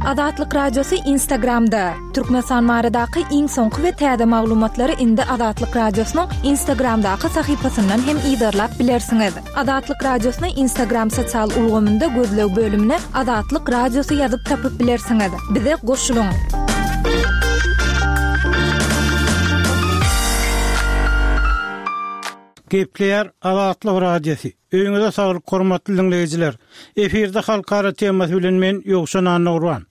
Azatlyk Radiosy Instagramda! Türkmenistan baradaky iň soňky we täze maglumatlary indi Azatlyk Radiosynyň Instagramdaky sahypasyndan hem yzarlap bilersiňiz. Azatlyk Radiosyny Instagram sosial ulgamynda gözleg bölümine Azatlyk Radiosy ýazyp tapyp bilersiňiz. Bize goşulyň! Gepleýär Azatlyk Radiosy. Öýüňize saglyk hormatly diňleýjiler. Efirde halkara temasy bilen men Ýowşan Annagurban.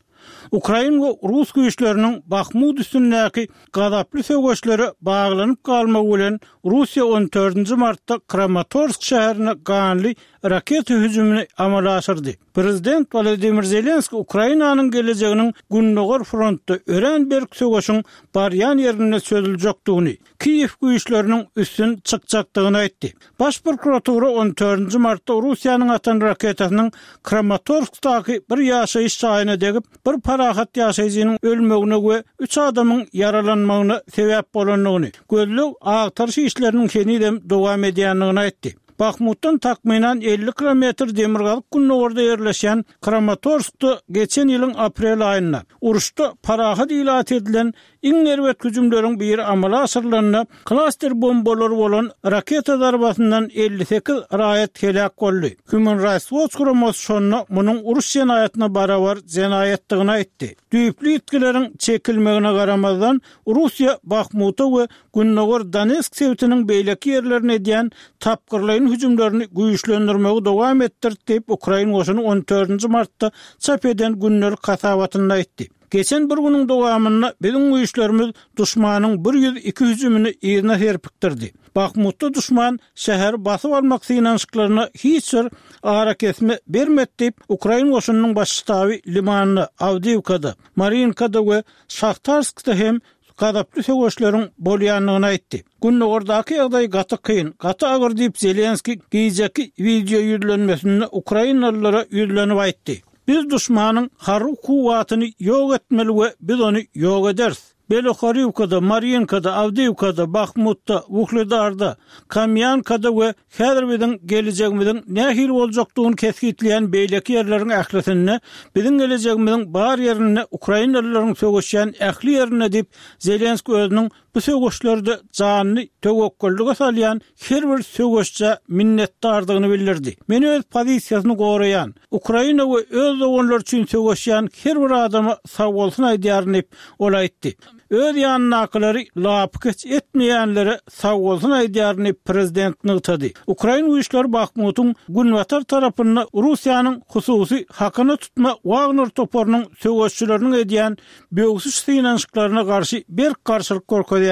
Ukrain we rus güýçleriniň Bahmut üstündäki gazaply söweşlere baglanyp galmagy bilen Russiýa on dördünji martda Kramatorsk şäherine ganly raketa hüjümini amala aşyrdy. Prezident Wolodymyr Zelenskiý Ukrainanyň gelejeginiň Gündogar frontda örän berk söweşiň barýan ýerinde çözüljekdigini, Kiýew güýçleriniň üstün çykjakdygyny aýtdy. Baş prokuratura on dördünji martda Russiýanyň atan raketasynyň Kramatorskdaky bir ýaşaýyş jaýyna degip, bir parahat ýaşaýjynyň ölmegine we üç adamyň ýaralanmagyna sebäp bolandygyny, gözleg-agtaryş işleriniň henizem dowam edýändigini aýtdy. Bahmutdan takmynan 50 kilometr demirgazyk-gündogarda ýerleşýän Kramatorskda geçen ýylyň aprel aýynda, uruşda parahat ilat edilen Iň erbet hüjümleriň biri amala aşyrylanda, klaster bombalary bolan raketa zarbasyndan 58 raýat heläk boldy. Human Rights Watch guramasy şonda munuň uruş jenaýatyna barabar jenaýatdygyny aýtdy. Düýpli ýitgileriň çekilmegine garamazdan, Russiýa Bahmuta we gündogar Donetsk sebitiniň beýleki ýerlerine edýän tapgyrlaýyn hüjümlerini güýçlendirmegi dowam etdirdi diýip, ukrain goşuny on dördünji martda çap eden gündelik hasabatynda aýtdy. Geçen bir günüň dowamynda biziň güýçlerimiz duşmanyň 102 hüjümini yzyna serpikdirdi. Bahmutda duşman şäheri basyp almak synanyşyklaryna hiç bir arakesme bermedi diýip, ukrain goşunynyň baş ştaby Limanda, Awdiýewkada, Mariinkada we Şahtarskda hem gazaply söweşleriň bolýandygyny aýtdy. Gündogardaky ýagdaý gaty kyn, gaty agyr diýip, Zelenskiý gijeki wideo ýüzlenmesinde ukrainalylara ýüzlenip aýtdy. Biz duşmanyň harby kuwwatyny ýok etmeli we biz ony ýok ederis. Belohoriwkada, Marýinkada, Awdiýewkada, Bahmutda, Wuhledarda, Kamýankada we häzir biziň gelejegimiziň nähili boljakdygyny kesgitleýän beýleki ýerleriň ählisinde, biziň gelejegimiziň bar ýerinde, ukrainalylaryň söweşýän ähli ýerinde diýip, Zelenskiý özüniň Bu söweşlerde janyny töwekgellige salýan her bir söweşjä minnetdardygyny bildirdi. Men öz pozisiýasyny goraýan, Ukraina we öz doganlary üçin söweşýän her bir adama sagbolsun aýdýaryn diýip, ol aýtdy. Öz ýanyndakylary lapykeç etmeýänlere sagbolsun aýdýaryn diýip, prezident nygtady. Ukrain güýçleri Bahmutyň günbatar tarapynda Russiýanyň hususy hakyna tutma Wagner toparynyň söweşçileriniň edýän böwsüş synanyşyklaryna garşy berk garşylyk görkezýärler.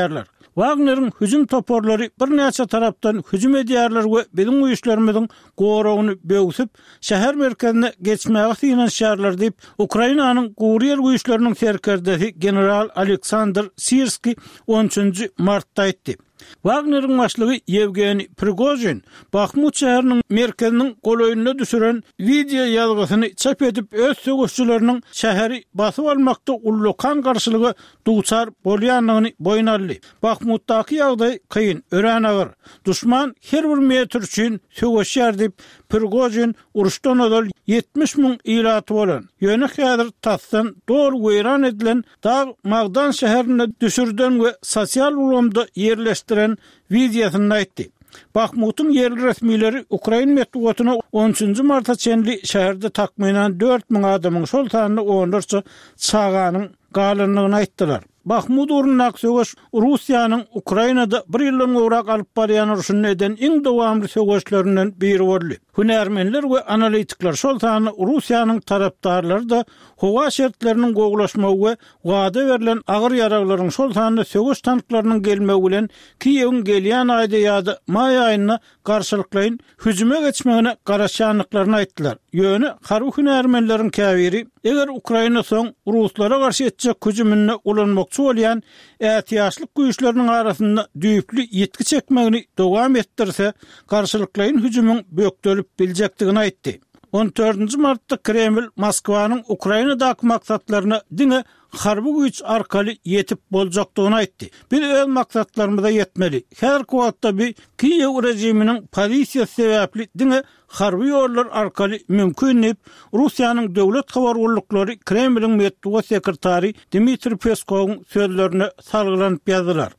Wagneriň hüjüm toparlary birnäçe tarapdan hüjüm edýärler we biziň güýçlerimiziň goragyny böwsüp, şäher merkezine geçmäge synanyşýarlar diýip, Ukrainanyň Gury ýer güýçleriniň serkerdesi general Aleksandr Sirskiý on üçünji martda aýtdy. Wagneriň başlygy Ýewgeniý Prigožin Bahmut şäheriniň merkeziniň golaýynda düşüren wideo ýazgysyny çap edip, öz söweşçileriniň şäheri basyp almakda ullakan garşylyga duçar bolýandygyny boýun aldy. Bahmutdaky ýagdaý kyn, örän agyr. Duşman her bir metr üçin söweşýär diýip, Prigožin uruşdan ozal 70 müň ilaty bolan, ýöne häzir tasdan doly weýran edilen Dag magdan şäherinde düşürden we sosial ulgamda ýerleşdiren wideosynda aýtdy. Bahmutyň ýerli resmileri ukrain metbugatyna on üçünji marta çenli şäherde takmynan 4000 adamyň, şol sanda onlarça çaganyň galandygyny aýtdylar. Bahmut ugrundaky söweş Russiýanyň Ukrainada bir ýyldan gowrak alyp barýan urşunda eden iň dowamly söweşlerinden biri boldy. Hünärmenler we analitikler, şol sanda Russiýanyň tarapdarlary-da Howa şertleriniň gowulaşmagy we wada berlen agyr ýaraglaryň, şol sanda söweş tanklarynyň gelmegi bilen Kiýewiň gelýän aýda ýa-da maý aýynda garşylyklaýyn hüjüme geçmegine garaşýandyklaryny aýtdylar. Ýöne harby hünärmenleriň käbiri, eger Ukraina soň ruslara garşy etjek hüjüminde ulanmakçy bolýan ätiýaçlyk güýçleriniň arasynda düýpli ýitgi çekmegini dowam etdirse, garşylyklaýyn hüjümiň bökdelip biljekdigini aýtdy. On dördünji martda Kreml Moskwanyň Ukrainadaky maksatlaryna diňe harby güýç arkaly ýetip boljakdygyny aýtdy. Biz öz maksatlarymyza ýetmeli. Häzirki wagtda bu Kiýew režiminiň pozisiýasy sebäpli diňe harby ýollar arkaly mümkin diýip, Russiýanyň döwlet habar gulluklary Kremliň metbugat sekretary Dmitriý Peskowyň sözlerine salgylanyp ýazdylar.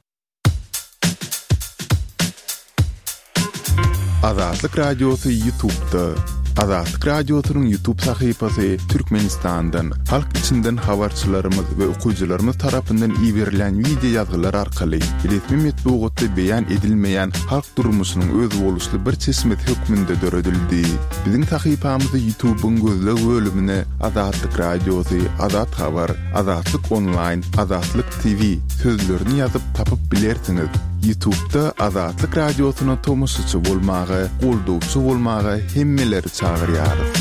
Azatlyk Radiosy Ýutubda. Azatlyk Radiosynyň Ýutub sahypasy Türkmenistandan, halk içinden habarçylarymyz we okyjylarymyz tarapyndan iberilýän wideo ýazgylar arkaly resmi metbugatda beýan edilmeýän halk durmuşynyň özboluşly bir çeşmesi hökmünde döredildi. Biziň sahypamyzy Ýutubyň gözleg bölümine Azatlyk Radiosy, Azat Habar, Azatlyk Onlaýn, Azatlyk TV sözlerini ýazyp tapyp bilersiňiz. Ýutubda Azatlyk Radiosyna tomaşaçy bolmaga, goldawçy bolmaga hemmeleri çagyrýarys.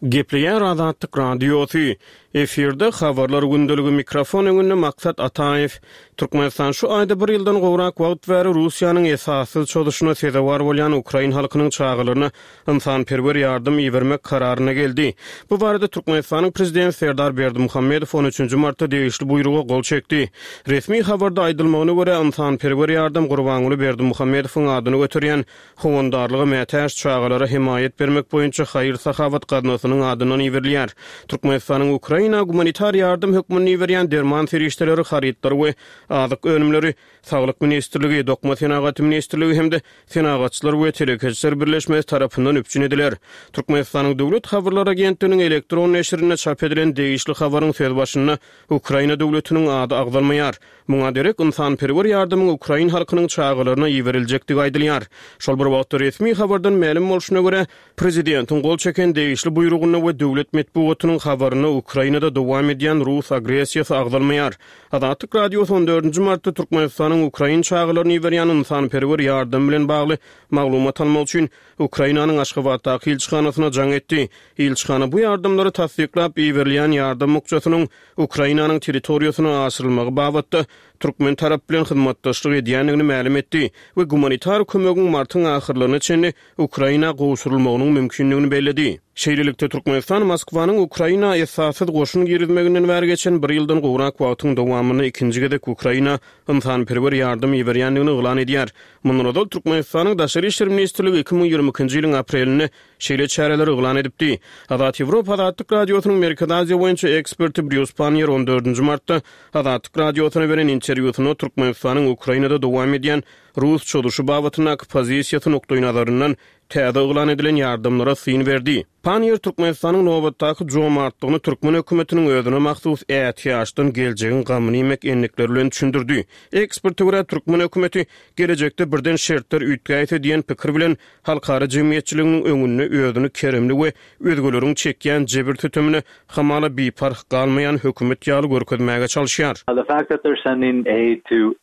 Gepleýär Azatlyk Radiosy. Efirde Habarlar gündeligi mikrofon öňünde Maksat Ataýew. Türkmenistan şu aýda bir ýyldan gowrak wagt bäri Russiýanyň esassyz çozuşyna sezewar bolýan ukrain halkynyň çagalaryna ynsanperwer ýardam ibermek kararyna geldi. Bu barada Türkmenistanyň Prezidenti Serdar Berdimuhamedow on üçünji martda degişli buýruga gol çekdi. Resmi habarda aýdylmagyna görä, ynsanperwer ýardam Gurbanguly Berdimuhamedowyň adyny göterýän Howandarlyga mätäç çagalara hemaýat bermek boýunça haýyr-sahawat gaznasynyň adyndan iberilýär. Türkmenistanyň Ukraina gumanitar ýardam hökmünde iberýän derman serişdeleri, harytlary we azyk önümleri Saglyk ministrligi, Dokma senagaty ministrligi hem-de Senagatçylar we telekeçiler birleşmesi tarapyndan üpjün ediler. Türkmenistanyň Döwlet habarlar agentliginiň elektron neşirinde çap edilen degişli habaryň sözbaşynda Ukraina döwletiniň ady agzalmaýar. Muňa derek ynsanperwer ýardamyň ukrain halkynyň çagalaryna iberiljekdigi aýdylýar. Şol bir wagtda resmi habardan mälim bolşuna görä, prezidentiň gol çeken degişli buýrugynda we döwlet metbugatynyň habarynda Ukrainada dowam edýän rus agressiýasy agzalmaýar. Azatlyk Radiosy on dördünji martda Türkmenistanyň ukrain çagalaryna iberýän ynsanperwer ýardamy bilen bagly maglumat almak üçin Ukrainanyň Aşgabatdaky ilçihanasyna jaň etdi. Ilçihana bu ýardamlary tassyklap, iberilýän ýardam bukjasynyň Ukrainanyň territoriýasyna aşyrylmagy babatda türkmen tarapy bilen hyzmatdaşlyk edýändigini mälim etdi we gumanitar kömegiň martyň ahyrlaryna çenli Ukraina gowşurylmagynyň mümkindigini belledi. Şeýlelikde, Türkmenistan Moskwanyň Ukraina esassyz goşun girizmeginden bäri geçen bir ýyldan gowrak wagtyň dowamynda ikinji gezek Ukraina ynsanperwer ýardam iberýändigini yglan edýär. Mundan ozal Türkmenistanyň Daşary işler ministrligi 2022-nji ýylyň aprelinde şeýle çäreleri yglan edipdi. Azat Ýewropa Azatlyk Radiosynyň Merkezi Aziýa boýunça eksperti Brýus Panniýer on dördünji martda Azatlyk Radiosyna beren interwýusynda Türkmenistanyň Ukrainada dowam edýän rus çozuşy babatyndaky pozisiýasy nukdaýnazaryndan täze yglan edilen ýardamlara syn berdi. Panniýer Türkmenistanyň nobatdaky jomartlygyny türkmen hökümetiniň özüne mahsus ätiýaçdan geljegiň gamyny iýmek endikleri bilen düşündirdi. Eksperte görä, türkmen hökümeti gelejekde birden şertler üýtgäýse diýen pikir bilen halkara jemgyýetçiliginiň öňünde özüni keremli we özgeleriň çekýän jebir-sütemine hamala biparh galmaýan hökümet ýaly görkezmäge çalyşýar. The fact that they're sending aid to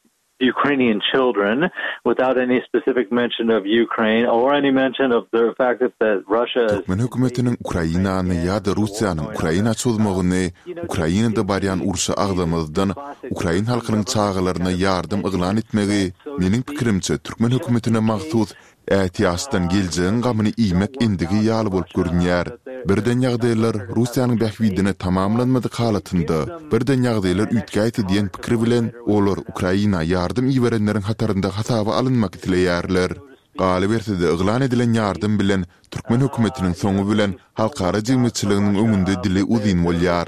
Ukrainian children without any specific mention of Ukraine or any mention of the fact that that Russia is Türkmen hökümetiniň Ukrainany ýa-da Russiýanyň Ukraina çozmagyny Ukrainada barýan urşy agzamazdan ukrain halkynyň çagalaryna ýardam yglan etmegi, meniň pikirimçe, türkmen hökümetine mahsus Ätiýaçdan geljegiň gamyny iýmek endigi ýaly bolup görünýär. Birden ýagdaýlar Russiýanyň bähbidine tamamlanmadyk halatynda, birden ýagdaýlar üýtgäýse diýen pikir bilen, olar Ukraina ýardam iberenleriň hatarynda hasaba alynmak isleýärler. Galyberse-de, yglan edilen ýardam bilen türkmen hökümetiniň soňy bilen halkara jemgyýetçiliginiň öňünde dili uzyn bolýar.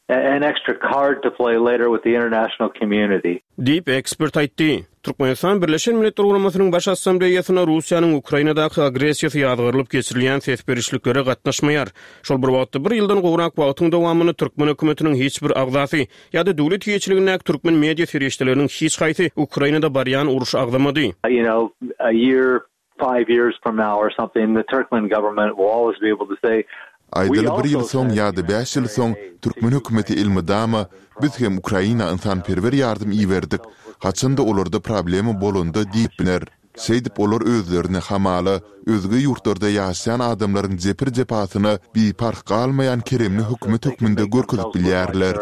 An extra card to play later with the international community. Diýip, ekspert aýtdy. Türkmenistan Birleşen Milletler Guramasynyň Baş Assambleýasynda Russiýanyň Ukrainadaky agressiýasy ýazgarylyp geçirilýän ses berişliklere gatnaşmaýar. Şol bir wagtda, bir ýyldan gowrak wagtyň dowamynda türkmen hökümetiniň hiç bir agzasy ýa-da döwlet eýeçiligindäki türkmen media serişdeleriniň hiç haýsy Ukrainada barýan urşy agzamady. You know, a year five years from now or something, the Turkmen government will always be able to say, Aýdaly bir ýyl soň ýa-da bäş ýyl soň türkmen hökümeti elmydama biz hem Ukraina ynsanperwer ýardam iberdik, haçan-da olarda problema bolanda diýip biler. Şeýdip olar özlerini hamala özge ýurtlarda ýaşaýan adamlaryň jepir-jepasyna biparh galmaýan keremli hökümet hökmünde görkezip bilýärler.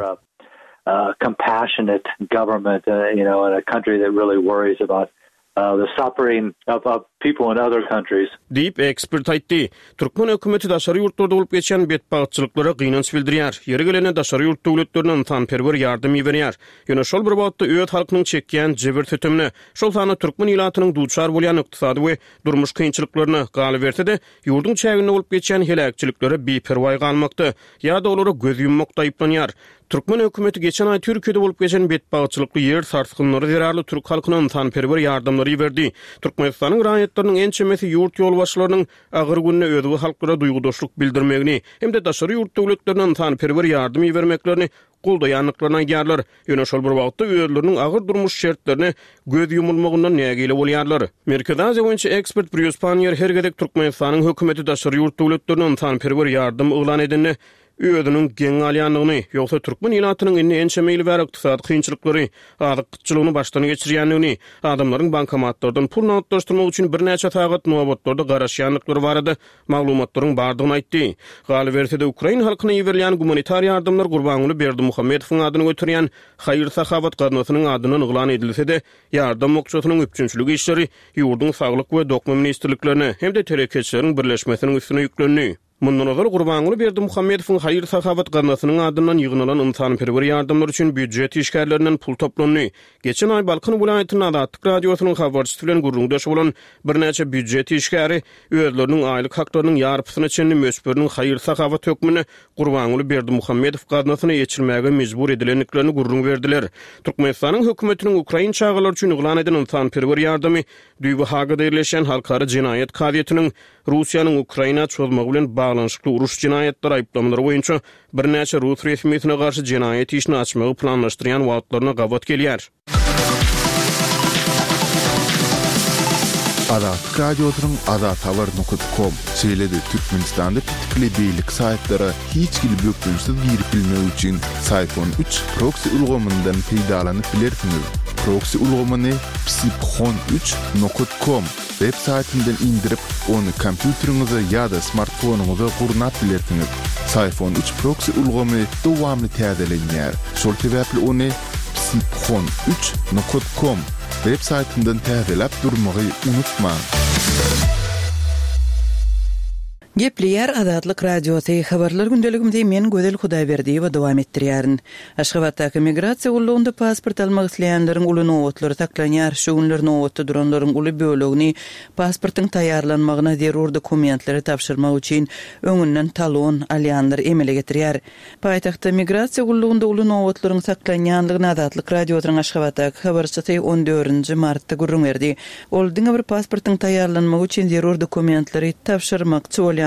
Compassionate government, you know, in a country that really worries about. The suffering of of people in other countries. Diýip, ekspert aýtdy. Türkmen hökümeti daşary ýurtlarda bolup geçýän betbagtçylyklara gynanç bildirýär. Ýeri gelende daşary ýurt döwletlerine ynsanperwer ýardam iberýär. Ýöne şol bir wagtda öz halkynyň çekýän jebir-sütemine, şol sanda türkmen ilatynyň duçar bolýan ykdysady we durmuş kynçylyklaryna, galyberse-de, ýurduň çäginde bolup geçýän heläkçiliklere biperwaý galmakda ýa-da olara göz ýummakda aýyplanýar. Türkmen hökümeti geçen aý Türkiýede bolup geçen betbagtçylykly ýer sarsgynlary zerarly türk halkyna ynsanperwer ýardamlary iberdi. Türkmenistanyň raýatlarynyň ençemesi ýurt ýolbaşçylarynyň agyr günde özge halklara duýgudaşlyk bildirmegini hem-de daşary ýurt döwletlerine ynsanperwer ýardam ibermeklerini goldaýandyklaryny aýdýarlar. Ýöne şol bir wagtda özleriniň agyr durmuş şertlerine göz ýumulmagyndan nägile bolýarlar. Merkezi Aziýa boýunça ekspert Brýus Panniýer her gezek Türkmenistanyň hökümeti daşary ýurt döwletlerine ynsanperwer ýardam yglan edende özüniň geň galýandygyny, ýogsa türkmen ilatynyň indi ençeme ýyl bäri ykdysady kynçylyklary, azyk gytçylygyny başdan geçirýändigini, adamlaryň bankomatlardan pul nagtlaşdyrmak üçin birnäçe sagat nobatlarda garaşýandyklary barada maglumatlaryň bardygyny aýtdy. Galyberse-de, ukrain halkyna iberilýän gumanitar ýardamlar Gurbanguly Berdimuhamedowyň adyny göterýän haýyr-sahawat gaznasynyň adyndan yglan edilse-de, ýardam bukjasynyň üpjünçilik işleri ýurduň Saglyk we Dokma ministrliklerine hem-de Telekeçileriň birleşmesiniň üstüne ýüklendi. Mundan ozal Gurbanguly Berdimuhamedowyň haýyr-sahawat gaznasynyň adyndan ýygnalan ynsanperwer ýardamlar üçin býujet işgärlerinden pul toplandy. Geçen aý Balkan welaýatynda Azatlyk Radiosynyň habarçysy bilen gürrüňdeş bolan birnäçe býujet işgäri özleriniň aýlyk haklarynyň ýarpysyna çenli möçberiniň haýyr-sahawat hökmünde Gurbanguly Berdimuhamedow gaznasyna eçilmäge mejbur edilendiklerini gürrüň berdiler. Türkmenistanyň hökümetiniň ukrain çagalary üçin yglan eden ynsanperwer ýardamy düýbi Hagada ýerleşýän Halkara jenaýat kazyýetiniň Russiýanyň Ukraina çozmagy bilen baglanyşykly uruş jenaýatlary aýyplamalary boýunça birnäçe rus resmisine garşy jenaýat işini açmagy planlaşdyrýan wagtlaryna gabat gelýär. Azatlyk Radiosynyň Azathabar nokat kom, şeýle-de Türkmenistanda petikli beýleki saýtlara hiç hili bökdençsiz girip bilmek üçin Syphon üç proksi ulgamyndan peýdalanyp bilersiňiz. Proksi ulgamyny psiphon üç nokat kom Web saýtyndan indirip, ony kompýuteriňize ýa-da smartfonyňyza gurnap bilersiňiz. Syphon üç proksi ulgamy dowamly täzelenýär. Şol sebäpli ony psiphon üç nokat kom web saýtyndan täzeläp durmagy unutmaň. Gepleýär Azatlyk Radiosy, Habarlar gündeligimizi men Gözel Hudaýberdiýewa dowam etdirýärin. Aşgabatdaky migrasiýa gullugynda pasport almak isleýänleriň uly nobatlary saklanýar. Şu günler nobatda duranlaryň uly bölegini pasportyň taýýarlanmagyna zerur dokumentleri tabşyrmak üçin öňünden talon alýanlar emele getirýär. Paýtagtda migrasiýa gullugynda uly nobatlaryň saklanýandygyny Azatlyk Radiosynyň Aşgabatdaky habarçysy on dördünji martda gürrüň berdi. Ol diňe bir pasportyň taýýarlanmagy üçin zerur dokumentleri tabşyrmakçy bolýanlaryň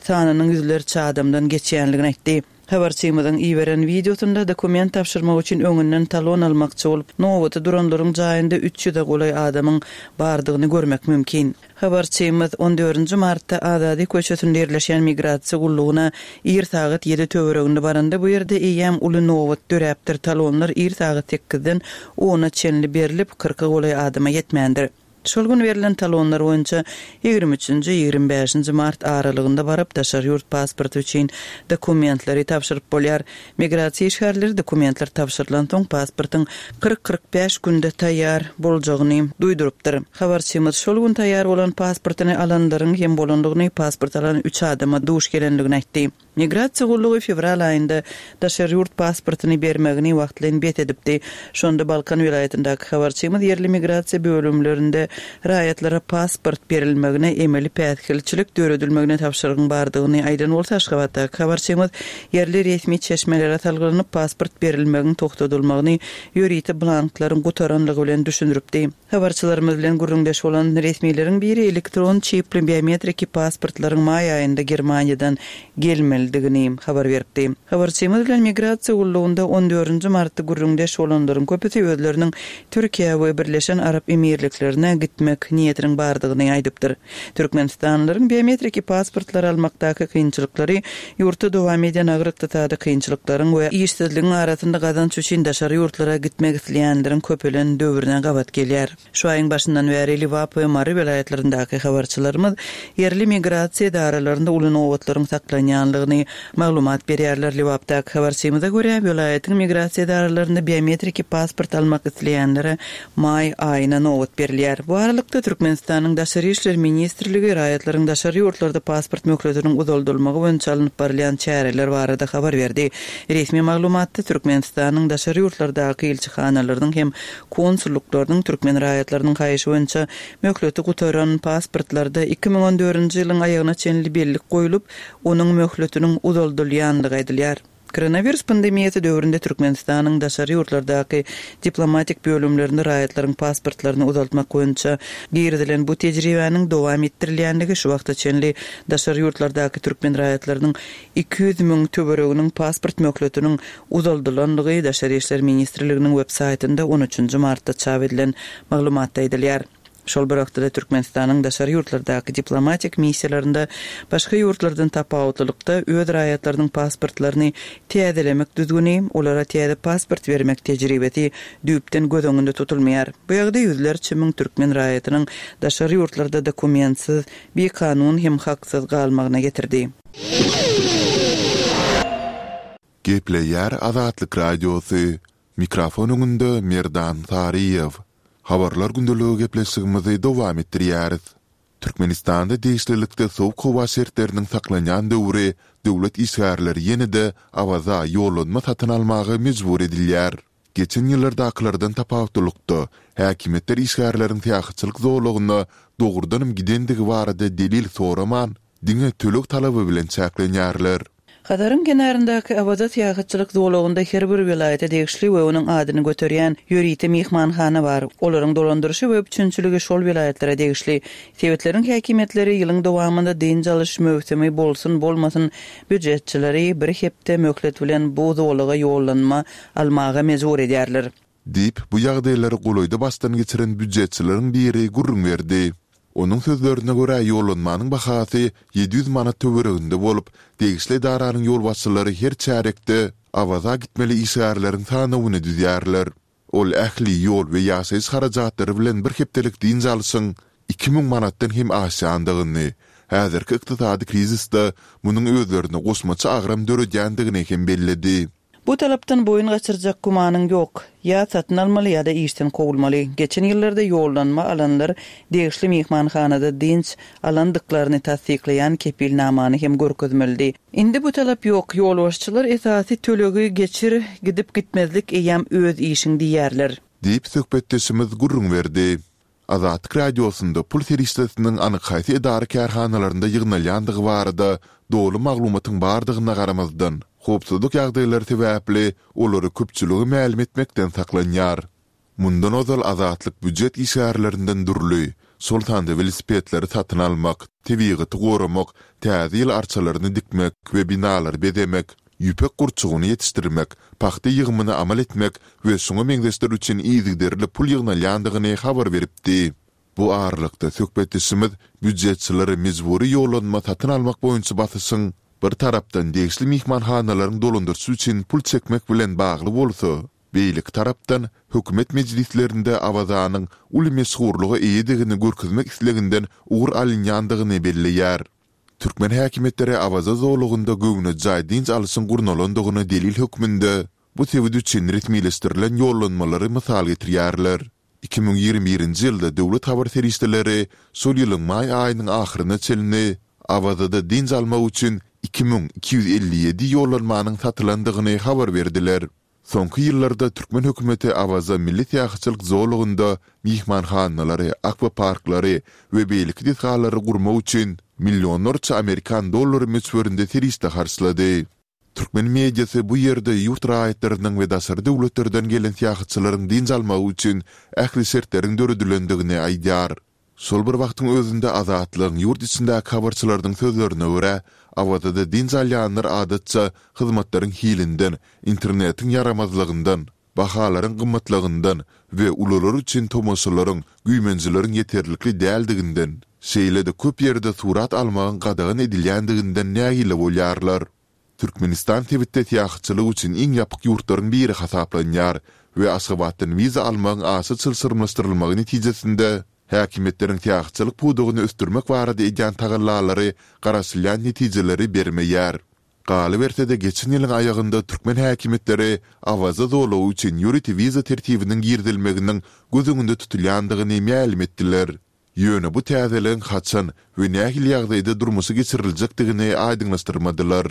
sanynyň ýüzlerçe adamdan geçýändigini aýtdy. Habarçymyzyň iberen wideosynda dokument tabşyrmak üçin öňünden talon almakçy bolup, nobata duranlaryň jaýynda üç ýüze golaý adamyň bardygyny görmek mümkin. Habarçymyz on dördünji martda Azady köçesinde ýerleşýän migrasiýa gullugyna ir sagat ýedi töwereginde baranda bu ýerde eýýäm uly nobat döräpdir, talonlar ir sagat sekizden ona çenli berlip, kyrka golaý adama ýetmändir. Şol gün berlen talonlar boýunça ýigrimi üçünji, ýigrimi bäşinji mart aralygynda baryp, daşary ýurt pasporty üçin dokumentleri tabşyryp bolýar. Migrasiýa işgärleri dokumentler tabşyrylansoň, pasportyň 40, 45 günde taýýar boljagyny duýdurypdyr. Habarçymyz şol gün taýýar bolan pasportyny alanlaryň hem bolandygyny, pasport alan üç adama duş gelendigini aýtdy. Migrasiýa gullugy fewral aýynda daşary ýurt pasportyny bermegini wagtlaýyn bes edipdi. Şonda Balkan welaýatyndaky habarçymyz ýerli migrasiýa bölümlerinde raýatlara pasport berilmegine emeli päsgelçilik döredilmegine tabşyrygyň bardygyny aýdan bolsa, Aşgabatdaky habarçymyz ýerli resmi çeşmelere salgylanyp, pasport berilmegiň togtadylmagyny ýörite blanklaryň gutaranlygy bilen düşündiripdi. Habarçylarymyz bilen gürrüňdeş bolan resmileriň biri elektron çipli biometriki pasportlaryň maý aýynda Germaniýadan gelmelidigini habar beripdi. Habarçymyz bilen migrasiýa gullugynda on dördünji martda gürrüňdeş bolanlaryň köpüsi özleriniň Türkiýä we Birleşen Arap Emirliklerine gitmek niýetiniň bardygyny aýdypdyr. Türkmenistanlylaryň biometriki pasportlary almakdaky kynçylyklary ýurtda dowam edýän agyr ykdysady kynçylyklaryň we işsizligiň arasynda gazanç üçin daşary ýurtlara gitmek isleýänleriň köpelen döwrüne gabat gelýär. Şu aýyň başyndan bäri Lebap we Mary welaýatlaryndaky habarçylarymyz ýerli migrasiýa edaralarynda uly nobatlaryň saklanýanlygyny maglumat berýärler. Lebapdaky habarçymyza görä, welaýatyň migrasiýa edaralarynda biometriki pasport almak isleýänlere maý aýyna nobat berilýär. Bu aralykda, Türkmenistanyň Daşary işler ministrligi raýatlaryň daşary ýurtlarda pasport möhletiniň uzaldylmagy boýunça alnyp barylýan çäreler barada habar berdi. Resmi maglumatda Türkmenistanyň daşary ýurtlardaky ilçihanalarynyň hem konsullyklarynyň türkmen raýatlarynyň haýyşy boýunça möhleti gutaran pasportlarda 2014-nji ýylyň aýagyna çenli bellik goýlup, onuň möhletiniň uzaldylýandygy aýdylýar. Koronawirus pandemiýasy döwründe Türkmenistanyň daşary ýurtlardaky diplomatik bölümlerinde raýatlaryň pasportlaryny uzaltmak boýunça girizilen bu tejribäniň dowam etdirilýändigi şu wagta çenli daşary ýurtlardaky türkmen raýatlarynyň 200 müň töwereginiň pasport möhletiniň uzaldylandygy Daşary işler ministrliginiň web saýtynda on üçünji martda çap edilen maglumatda aýdylýar. Şol bir wagtda-da Türkmenistanyň daşary ýurtlardaky diplomatik missiýalarynda başga ýurtlardan tapawutlylykda öz raýatlarynyň pasportlaryny täzelemek düzgüni, olara täze pasport bermek tejribesi düýpden göz öňünde tutulmaýar. Bu ýagdaý ýüzlerçe müň türkmen raýatynyň daşary ýurtlarda dokumentsiz, bikanun hem haksyz galmagyna getirdi. Gepleýär Azatlyk Radiosy, Mikrofon öňünde Merdan Saryýew. Habarlar gündeligi gepleşigimizi dowam etdirýäris. Türkmenistanda degişlilikde sowuk howa şertleriniň saklanýan döwri döwlet işgärleri ýene-de Awaza ýollanma satyn almaga mejbur edilýär. Geçen ýyllardakylardan tapawutlylykda, häkimiýetler işgärleriň syýahatçylyk zolagyna dogrudanam gidendigi barada delil soraman, diňe töleg talaby bilen çäklenýärler. Hazaryň kenaryndaky Awaza syýahatçylyk zolagynda her bir welaýata degişli we onuň adyny göterýän ýörite myhmanhana bar. Olaryň dolandyryşy we üpjünçiligi şol welaýatlara degişli. Sebitleriň häkimiýetleri ýylyň dowamynda dynç alyş möwsümi bolsun-bolmasyn býujetçileri bir hepde möhlet bilen bu zolaga ýollanma almaga mejbur edýärler. Diýip, bu ýagdaýlary golaýda başdan geçiren býujetçileriň biri gürrüň berdi. Onuň sözlerine görä, ýollanmanyň bahasy 700 manat töwereginde bolup, degişli edaranyň ýolbaşçylary her çärýekde Awaza gitmeli işgärleriň sanawyny düzýärler. Ol ähli ýol we ýaşaýyş harajatlary bilen bir hepdelik dynç alşyň 2000 manatdan hem aşýandygyny, häzirki ykdysady krizisde munuň özlerine goşmaça agram döredýändigini hem belledi. Bu talapdan boýun gaçyrjak gümanyň ýok. Ýa satyn almaly ýa-da işden kowulmaly. Geçen ýyllarda ýollanma alanlar degişli myhmanhanada dynç alandyklaryny tassyklaýan kepilnamany hem görkezmelidi. Indi bu talap ýok. Ýolbaşçylar esasy tölegi geçir, gidip-gitmezlik eýýäm öz işiň diýýärler. Diýip, söhbetdeşimiz gürrüň berdi. Azatlyk Radiosynda pul serişdesiniň anyk haýsy edara-kärhanalarynda ýygnalýandygy barada doly maglumatyň bardygyna garamazdan, howpsuzlyk ýagdaýlary sebäpli olary köpçülige mälim etmekden saklanýar. Mundan ozal Azatlyk býujet işgärlerinden dürli, şol sanda welosipedleri satyn almak, tebigaty goramak, täze ýyl arçalaryny dikmek we binalary bezemek, ýüpek gurçugyny ýetişdirmek, pagta ýygymyny amal etmek we şuňa meňzeşler üçin yzygiderli pul ýygnalýandygyny habar beripdi. Bu aralykda, söhbetdeşimiz býujetçilere mejbury ýollanma satyn almak boýunça basyşyň, bir tarapdan, degişli myhmanhanalaryň dolandyryşy üçin pul çekmek bilen bagly bolsa, beýleki tarapdan, hökümet mejlislerinde Awazanyň uly meşhurlyga eýedigini görkezmek isleginden ugur alynýandygyny belleýär. Türkmen häkimiýetleri Awaza zolagynda göwnejaý dynç alyşyň gurnalandygyna delil hökmünde bu sebit üçin resmileşdirilen ýollanmalary mysal getirýärler. 2021-nji ýylda döwlet habar serişdeleri şol ýylyň maý aýynyň ahyryna çenli Awazada dynç almak üçin 2257 ýollanmanyň satylandygyny habar berdiler. Soňky ýyllarda türkmen hökümeti Awaza milli syýahatçylyk zolagynda myhmanhanalary, akwaparklary we beýleki desgalary gurmak üçin millionlarça amerikan dollary möçberinde serişde harçlady. Türkmen mediasy bu ýerde ýurt raýatlarynyň we daşary döwletlerden gelen syýahatçylaryň dynç almagy üçin ähli şertleriň döredilendigini aýdýar. Şol bir wagtyň özünde Azatlygyň ýurt içindäki habarçylarynyň sözlerine görä, Awazada dynç alýanlar adatça hyzmatlaryň hilinden, internetiň ýaramazlygyndan, bahalaryň gymmatlygyndan we ulular üçin tomaşalaryň, güýmenjeleriň ýeterlikli däldiginden, şeýle-de köp ýerde surat almagyň gadagan edilýändiginden nägile bolýarlar. Türkmenistan sebitde syýahatçylyk üçin iň ýapyk ýurtlaryň biri hasaplanýar we Aşgabatdan wiza almagyň aşa çylşyrymlaşdyrylmagy netijesinde häkimiýetleriň syýahatçylyk pudagyny ösdürmek barada edýän tagallalary garaşylýan netijeleri bermeýär. Galyberse-de, geçen ýylyň aýagynda türkmen häkimiýetleri Awaza zolagy üçin ýörite wiza tertibiniň girizilmeginiň göz öňünde tutulýandygyny mälim etdiler. Ýöne bu täzeligiň haçan we nähili ýagdaýda durmuşa geçiriljekdigini aýdyňlaşdyrmadylar.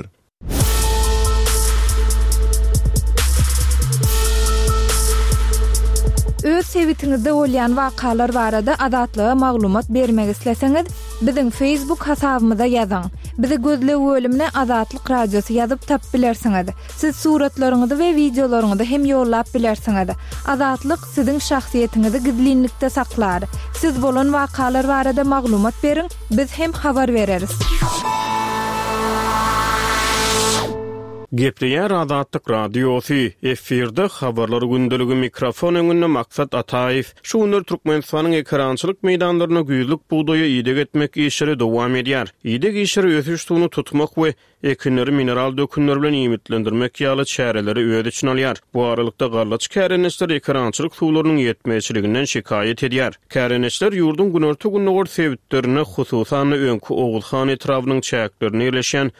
Öz sebitiňizde bolýan wakalar barada Azatlyga maglumat bermek isleseňiz, biziň Facebook hasabymyza ýazyň. Bizi gözleg bölümine Azatlyk Radiosy ýazyp tapyp bilersiňiz. Siz suratlaryňyzy we wideolaryňyzy hem ýollap bilersiňiz. Azatlyk siziň şahsyýetiňizi gizlinlikde saklar. Siz bolan wakalar barada maglumat beriň, biz hem habar bereris. Gepleýär Azatlyk Radiosy, efirde Habarlar gündeligi mikrofon öňünde Maksat Ataýew. Şu günler Türkmenistanyň ekerançylyk meýdanlarynda güýzlük bugdaýa ideg etmek işleri dowam edýär. Ideg işleri ösüş suwuny tutmak we ekinleri mineral dökünler bilen iýmitlendirmek ýaly çäreleri öz içine alýar. Bu aralykda, gallaçy kärendeçiler ekerançylyk suwlarynyň ýetmezçiliginden şikaýat edýär. Kärendeçiler ýurduň günorta-gündogar sebitlerinde, hususan-da, öňki Oguzhan etrabynyň çäklerinde ýerleşýän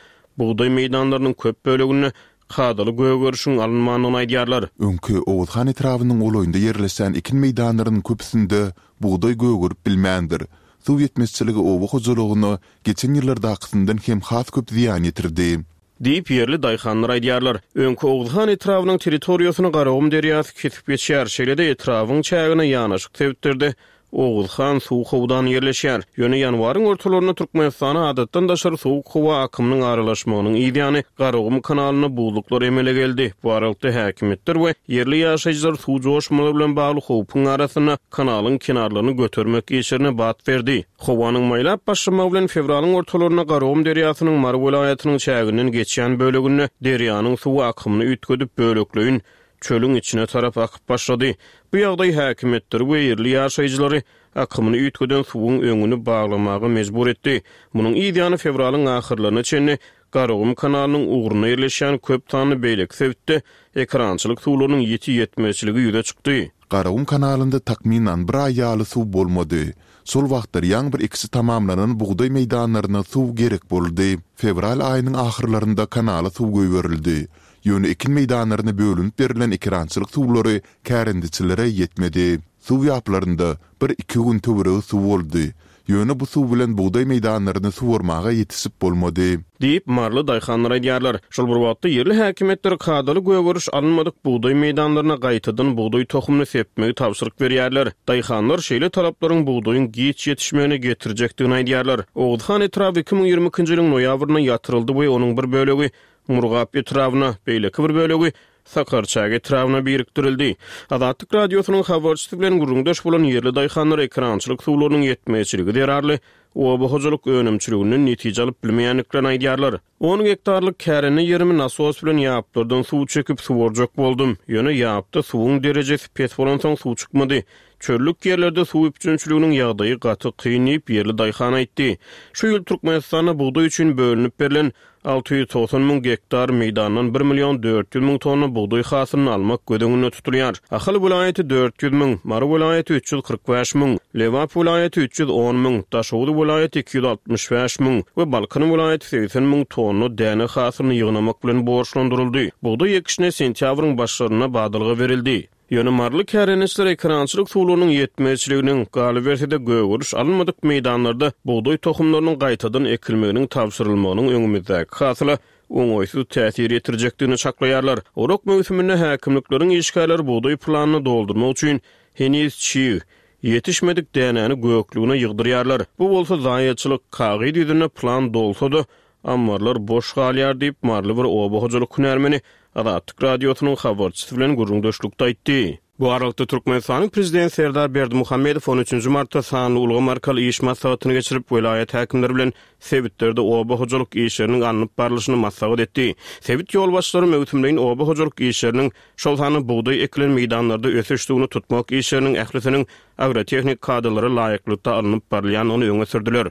bugdaý meýdanlarynyň köp böleginde kadaly gögerişiň alynmandygyny aýdýarlar. Öňki Oguzhan etrabynyň golaýynda ýerleşýän ekin meýdanlarynyň köpüsinde bugdaý gögerip bilmändir. Suw ýetmezçiligi oba hojalygyna geçen ýyllardakysyndan hem has köp zyýan ýetirdi. Diýip, ýerli daýhanlar aýdýarlar. Öňki Oguzhan etrabynyň territoriýasyny Garagum derýasy kesip geçýär. Şeýle-de etrabyň çägine ýanaşyk sebitlerde Oguzhan suw howdany ýerleşýär. Ýöne ýanwaryň ortalarynda Türkmenistana adatdan daşary sowuk howa akymynyň aralaşmagynyň yzýany Garagum kanalynda buzluklar emele geldi. Bu aralykda häkimiýetler we ýerli ýaşaýjylar suw joşmalary bilen bagly howpuň arasynda kanalyň kenarlaryny götermek işlerine bat berdi. Howanyň maýlap başlamagy bilen fewralyň ortalarynda Garagum derýasynyň Mary welaýatynyň çäginden geçýän böleginde derýanyň suwy akymyny üýtgedip, bölekleýin çölüň içine tarap akyp başlady. Bu ýagdaý häkimiýetleri we ýerli ýaşaýjylary akymyny üýtgeden suwuň öňüni baglamaga mejbur etdi. Munuň yz ýany fewralyň ahyrlaryna çenli Garagum kanalynyň ugrunda ýerleşýän köp sanly beýleki sebitde ekerançylyk suwlarynyň ýiti ýetmezçiligi ýüze çykdy. Garagum kanalynda takmynan bir aý ýaly suw bolmady. Şol wagtlar ýaňy bir ekişi tamamlanan bugdaý meýdanlaryna suw gerek boldy. Fewral aýynyň ahyrlarynda kanala suw goýberildi. Ýöne ekin meýdanlaryna bölünip berlen ekerançylyk suwlary kärendeçilere ýetmedi. Suw ýaplarynda bir-iki gün töweregi suw boldy. Ýöne bu suw bilen bugdaý meýdanlaryny suwarmaga ýetişip bolmady. Diýip, maryly daýhanlar aýdýarlar. Şol bir wagtda, ýerli häkimiýetler kadaly gögeriş alynmadyk bugdaý meýdanlaryna gaýtadan bugdaý tohumyny sepmegi tabşyryk berýärler. Daýhanlar şeýle talaplaryň bugdaýyň giç ýetişmegine getirjekdigini aýdýarlar. Oguzhan etraby 2022-nji ýylyň noýabrynda ýatyryldy we onuň bir bölegi Murgap etrabyna, beýleki bir bölegi Sakarçäge etrabyna birikdirildi. Azatlyk Radiosynyň habarçysy bilen gürrüňdeş bolan ýerli daýhanlar ekerançylyk suwlarynyň ýetmezçiligi zerarly oba hojalyk önümçiliginden netije alyp bilmeýändiklerini aýdýarlar. On gektarlyk kärende ýerimi nasos bilen ýaplardan suw çekip suwarjak boldum. Ýöne ýapda suwuň derejesi pes bolansoň suw çykmady. Çöllük ýerlerde suw üpjünçiliginiň ýagdaýy gaty kyn diýip, ýerli daýhan aýtdy. Şu ýyl Türkmenistanda bugdaý üçin bölünip berlen 690 müň gektar meýdandan bir million 400 müň tonna bugdaý hasylyny almak göz öňünde tutulýar. Ahal welaýaty 400 müň, Mary welaýaty 345 müň, Lebap welaýaty 310 müň, Daşoguz welaýaty 265 müň we Balkan welaýaty 80 müň tonna däne hasylyny ýygnamak bilen borçlandyryldy. Bugdaý ekişine sentýabryň başlarynda badalga berildi. Ýöne maryly kärendeçiler ekerançylyk suwlarynyň ýetmezçiliginiň, galyberse-de gögeriş alynmadyk meýdanlarda bugdaý tohumlarynyň gaýtadan ekilmeginiň tabşyrylmagynyň öňümizdäki hasyla oňaýsyz täsir ýetirjekdigini çaklaýarlar. Orak möwsüminde häkimlikleriň işgärleri bugdaý planyny doldurmak üçin heniz çig, ýetişmedik dänäni göklügine ýygdyrýarlar. Bu bolsa zaýaçylyk, kagyz ýüzünde plan dolsa-da, Ammarlar boş galýar diýip, maryly bir oba hojalyk hünärmeni Azatlyk Radiosynyň habarçysy bilen gürrüňdeşlikde aýtdy. Bu aralykda, Türkmenistanyň Prezidenti Serdar Berdimuhamedow on üçünji martda sanly ulgam arkaly iş maslahatyny geçirip, welaýat häkimleri bilen sebitlerde oba hojalyk işleriniň alnyp barlyşyny maslahat etdi. Sebit ýolbaşçylary möwsümleýin oba hojalyk işleriniň, şol sanda bugdaý ekilen meýdanlarda ösüş suwuny tutmak işleriniň ählisiniň agrotehnik kadalara laýyklykda alnyp barylýandygyny öňe sürdüler.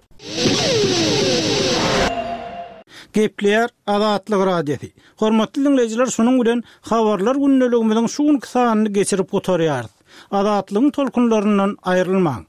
Gepleýär Azatlyk Radiosy. Hormatly diňleýjiler şunuň bilen Habarlar gündeligimiziň şu günki sanyny geçirip gutarýarys. Azatlygyň tolkunlaryndan aýrylmaň!